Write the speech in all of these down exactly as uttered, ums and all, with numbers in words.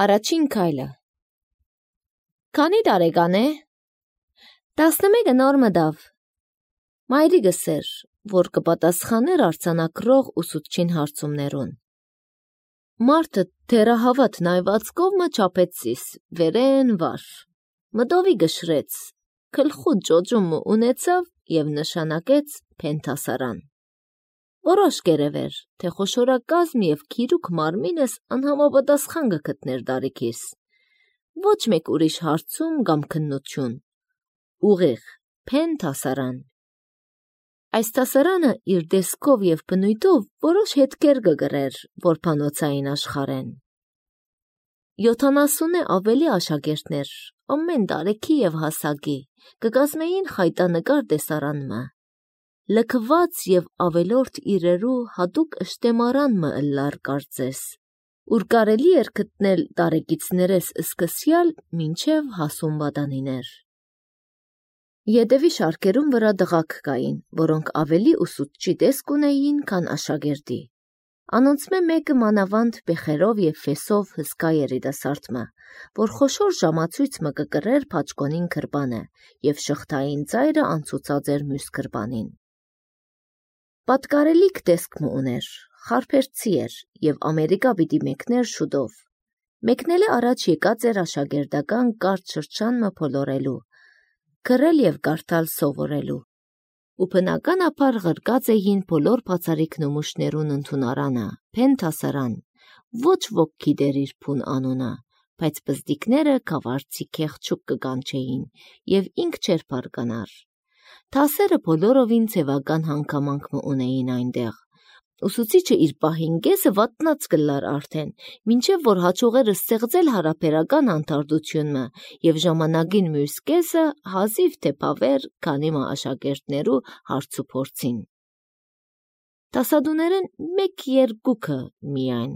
Առաջին քայլը։ Քանի տարեկան է։ տասնմեկը նոր մտավ։ Մայրիկս էր, որ կպատասխաներ արձանագրող ուսուցչին հարցումներուն։ Մարդը թերահավատ նայվածքով մը չափեցիս, վերեն վար։ Մտովի գշրեց, քլխուտ ջոջումը ունեցավ և նշանակեց փենթասարան։ Որոշ կերևեր, թե խոշորակազմ և քիրուկ մարմինս անհամապատասխան կգտներ դարիքիս։ Ոչ մեկ ուրիշ հարցում կամ քննություն։ Ուղիղ, փենթասարան։ Այս տասարանը իր դեսքով և բնույթով որոշ հետքեր կգրեր որբանոցային աշխարհեն։ Յոթանասունը ավելի աշակերտներ, ամեն տարեքի և հասակի, կկազմեին խայտանկար տեսարանմը, լքված և ավելորդ իրերու հատուկ ըշտեմարան մը ըլլար կարծես, ուր կարելի էր գտնել տարեկիցներես սկսյալ մինչև հասուն պատանիներ։ Ետևի շարքերուն վրա տղաք կային, որոնք ավելի ուսուցչի տեսք ունեին, քան աշակերտի։ Անոնցմէ մեկը մանավանդ բեխերով և ֆեսով հսկա երիտասարդ մը, որ խոշոր ժամացույց մը կկրեր փաչկոնին գրպանը և շղթային ծայրը անցուցած էր մյուս գրպանին։ Պատկարելիք տեսք մը ուներ, խարփերձի էր և Ամերիկա պիտի մեկներ շուտով։ Մեկնել է առաջ եկած էր աշակերտական կարճ շրջան մը փոլորելու, գրել և կարդալ սովորելու։ Ու բնականաբար ղրկած էին բոլոր բացառիկ նմուշներուն ընդունարանը, փենթասարան, ոչ ոք գիտեր իր բուն անունը, բայց բզդիկները գավառցի քեղճուկ կկանչեին և ինք չէր բարկանար։ Դասերը բոլորովին ձևական հանգամանք մը ունեին այնտեղ։ Ուսուցիչը իր պահին կեսը վատնած կլար արդեն, մինչև որ հաջողեր ստեղծել հարաբերական անտարդություն մը և ժամանակին մյուս կեսը հազիվ թե բավեր քանի մը աշակերտներու հարցուփորձին։ Դասադուներեն մեկ երկուքը միայն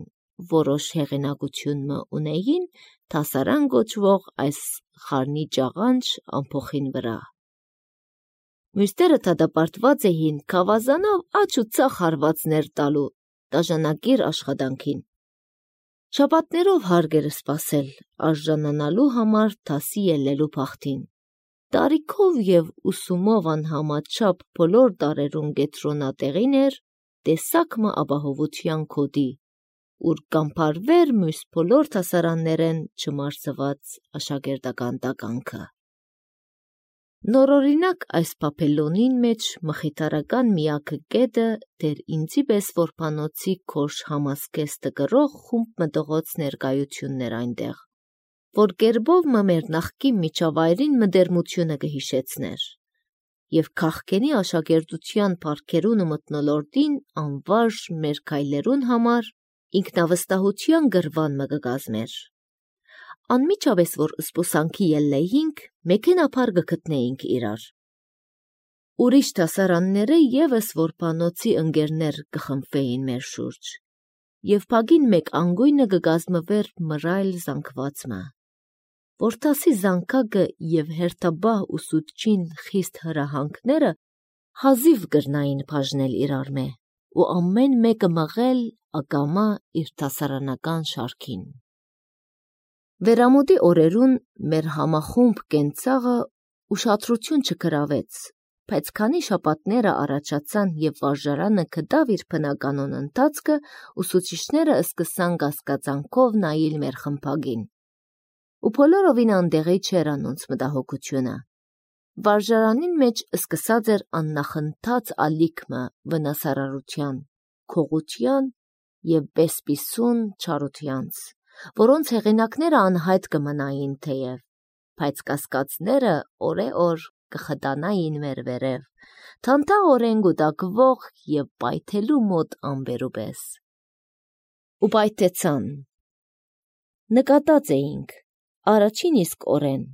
որոշ հեղինակություն մը ունեին դասարան կոչվող այս խառնիճաղանճ ամփոխին վրա։ Մյուսները դատապարտված էին գավազանով աջ ու ձախ հարվածներ տալու դաժանակիր աշխատանքին։ Շաբաթներով հարկ էր սպասել արժանանալու համար դասի ելնելու բախտին։ Տարիքով և ուսումով անհամաչափ բոլոր տարերուն կենտրոնատեղին էր տեսակ մը ապահովության գոտի, ուր կամբարվեր մյուս բոլոր դասարաններեն չմարսված աշակերտական տականքը։ Նորօրինակ այս փափելոնին մեջ մխիթարական միակը կետը դեր ինձի պես որբանոցի գորշ համազգեստ կրող խումբ մտողոց ներկայությունն էր այնտեղ, որ կերպով մը մեր նախկին միջավայրին մտերմությունը կհիշեցներ և քաղքենի աշակերտության պարքերուն ու մթնոլորտին անվարժ մեր քայլերուն համար ինքնավստահության գրվան մը կկազմեր։ Անմիջապես որ զբոսանքի ելնեինք, մեքենայաբար կգտնեինք իրար։ Ուրիշ դասարանները ևս որբանոցի ընկերներ կխմբվեին մեր շուրջ, և փագին մեկ անգույնը կկազմվեր մռայլ զանգվածմը, որ դասի զանգակը և հերթաբահ ուսուցչին խիստ հրահանգները հազիվ կրնային բաժնել իրարմե ու ամեն մեկը մղել ակամա իր դասարանական շարքին։ Վերամուտի օրերուն մեր համախումբ կենցաղը ուշադրություն չգրավեց, բայց քանի շաբաթները առաջացան և վարժարանը գտավ իր բնականոն ընթացքը, ուսուցիչները սկսան կասկածանքով նայել մեր խմբագին։ Ու բոլորովին անտեղի չէր անոնց մտահոգությունը։ Վարժարանին մեջ սկսած էր աննախընթաց ալիքմը վնասարարության, քողության և բեսպիսուն չարությանց, որոնց հեղինակները անհայտ կմնային թեև, բայց կասկածները օրեօր կխտանային մեր վերև, թանթաղորեն կուտակվող և պայթելու մոտ ամպերու պես։ Ու պայթեցան։ Նկատած էինք առաջին իսկ օրեն,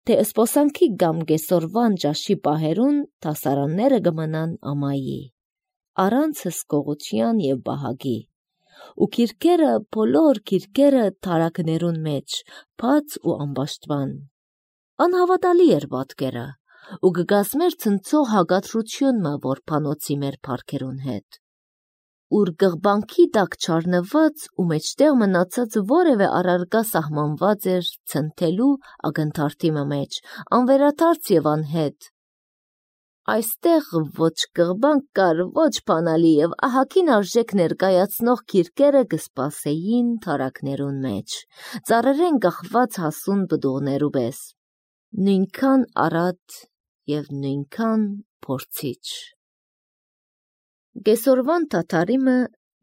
թե զբոսանքի կամ կեսօրվան ճաշի պահերուն դասարանները կմնան ամայի, առանց հսկողության և բահագի, ու գիրքերը, բոլոր գիրքերը թարաքներուն մեջ, բաց ու ամբաշտման։ Անհավատալի էր պատկերը, ու կկազմեր ցնցող հակադրությունը որբանոցի մեր պարքերուն հետ։ ուր գղբանքի տակ չառնված ու մեջտեղ մնացած որևէ առարկա սահմանված էր ցնթելու ակնթարթի մեջ, անվերադարձ եւ անհետ։ Այստեղ ոչ գղբանք կար, ոչ բանալի եւ ահագին արժեք ներկայացնող քիրքերը կսպասեին թարակներուն մեջ, ծառերեն կախված հասուն բդուղներու պես, նույնքան առատ եւ նույնքան փորձիչ։ Գեսորվան թաթարիմը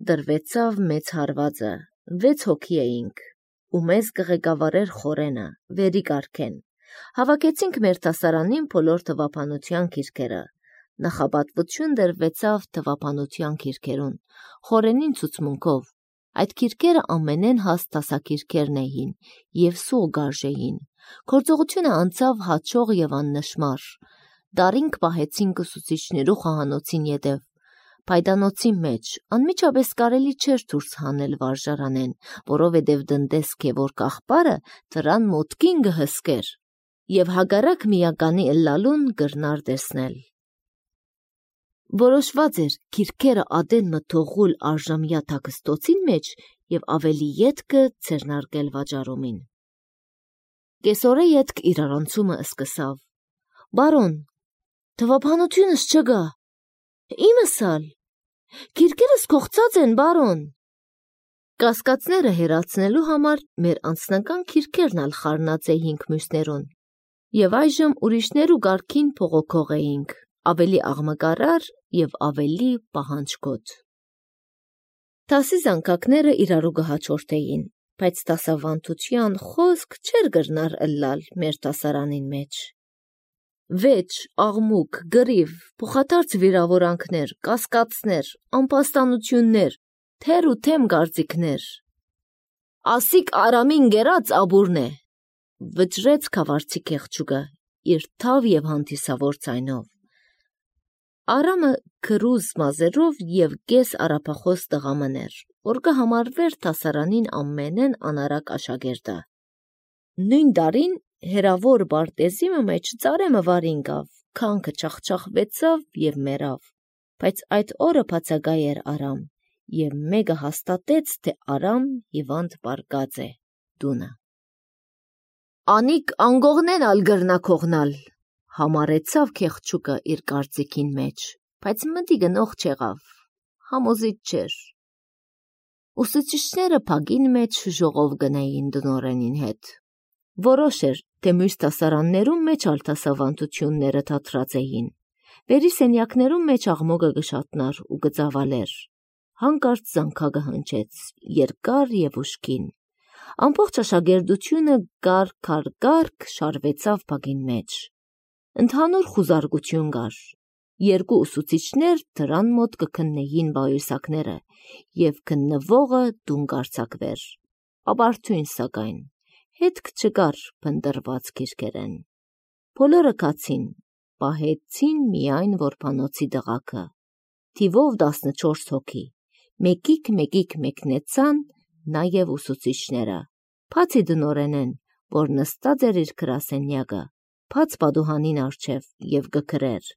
դրվեցավ մեծ հարվածը, վեց հոգի էինք, ու մեզ կղեկավարեր խորենը, վերի կարգեն։ Հավաքեցինք մեր տասարանին բոլոր թվապանության քիրքերը, նախապատվություն դրվեցավ թվապանության քիրքերուն, խորենին ցուցմունքով, այդ քիրքերը ամենեն հաստ տասակիրքերն էին և սուղ գարժեին, գործողությունը անցավ հաճող և աննշմար, դարինք պահեցինք ուսուցիչներու խոհանոցին ետև, Փայդանոցի մեջ անմիջապես կարելի չէր դուրս հանել վարժարանեն, որովհետև դնդես որ կախպարը դրան մոտքին գհսկեր և հագարակ միականի ըլլալուն գրնար տեսնել։ Որոշված էր քիրքերը ադեն մթողուլ արժամյա թաքստոցին մեջ և ավելի ետքը ձեռնարկել վաճառումին։ Կեսօրե ետք իրարանցումը սկսավ։ Բարոն, թվապանությունս չգա։ Իմս ալ, քիրքերս կողծած են, բարոն։ Կասկածները հեռացնելու համար մեր անձնական քիրքերն ալ խառնած էինք մյուսներուն, և այժմ ուրիշներու գարքին փողոքող էինք, ավելի աղմկարար և ավելի պահանջկոտ։ Տասի զանգակները իրարու կհաջորդեին, բայց տասավանդության խոսք չէր գրնար ըլլալ մեր տասարանին մեջ։ Վեճ, աղմուկ, գրիվ, փոխադարձ վիրավորանքներ, կասկածներ, անպաստանություններ, թեր ու թեմ գործիքներ։ Ասիկ Արամին գերած աբուրն է, վճռեց քավարցի կեղճուկը իր թավ և հանդիսավոր ձայնով։ Արամը քրուզ մազերով և կես արաբախոս տղամն էր, որ կհամարվեր տասարանին ամենեն անարակ աշակերտը։ Նույն դարին հերավոր բարտեզիմը մեջ ծարեմը վարինգավ, քանքը չախչախվեցավ և մերավ, բայց այդ օրը բացագայ էր Արամ, և մեկը հաստատեց, թե Արամ հիվանդ պարկած է դունը։ Անիկ անգողնեն ալ գրնա քողնալ, համարեցավ կեղճուկը իր կարծիքին մեջ, բայց մտի գնող չեղավ, համոզիչ չէր։ Ուսուցիչները փագին մեջ ժողով գնային դնորենին հետ։ Որոշ էր, թե մյուս տասարաններում մեջ ալ տասավանդությունները թատրած էին, վերի սենյակներում մեջ աղմուկը կշատնար ու կծավալեր, հանկարծ զանգակը հնչեց, երկար և ուժգին, ամբողջ աշակերտությունը գարկ-գարկ շարվեցավ փագին մեջ, ընդհանուր խուզարկություն կար, երկու ուսուցիչներ դրան մոտ կքննեին բայուսակները և քննվողը տուն կարձակվեր, ապարդյուն սակայն, հետք չկար փնտրված քիրքերեն։ Բոլորը կացին, պահեցին միայն որբանոցի դղակը, թիվով տասնչորս հոգի, մեկիկ-մեկիկ մեկնեցան նաև ուսուցիչները, բացի դնորենեն, որ նստած էր իր գրասենյակը, բաց պատուհանին առջև և կգրեր։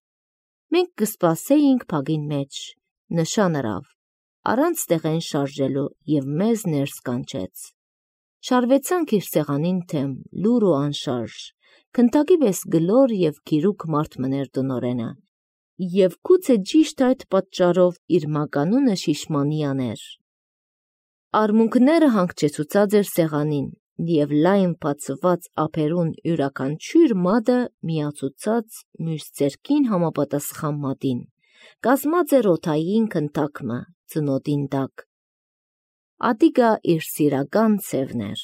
Մենք կսպասեինք փագին մեջ, նշան ըրավ, առանց տեղեն շարժելու և մեզ ներս կանչեց։ Շարվեցանք իր սեղանին թեմ, լուռ ու անշարժ, քնթակի պես գլոր և գիրուկ մարդ մներ դնորենը, և գուցե ճիշտ այդ պատճառով իր մականունը շիշմանյան էր։ Արմունկները հանգչեցուցած էր սեղանին, և լայն բացված ափերուն յուրաքանչյուր մատը միացուցած մյուս ձեռքին համապատասխան մատին, կազմած էր օդային քնթակը ծնոտին տակ։ Ատիկա իր սիրական սևն էր։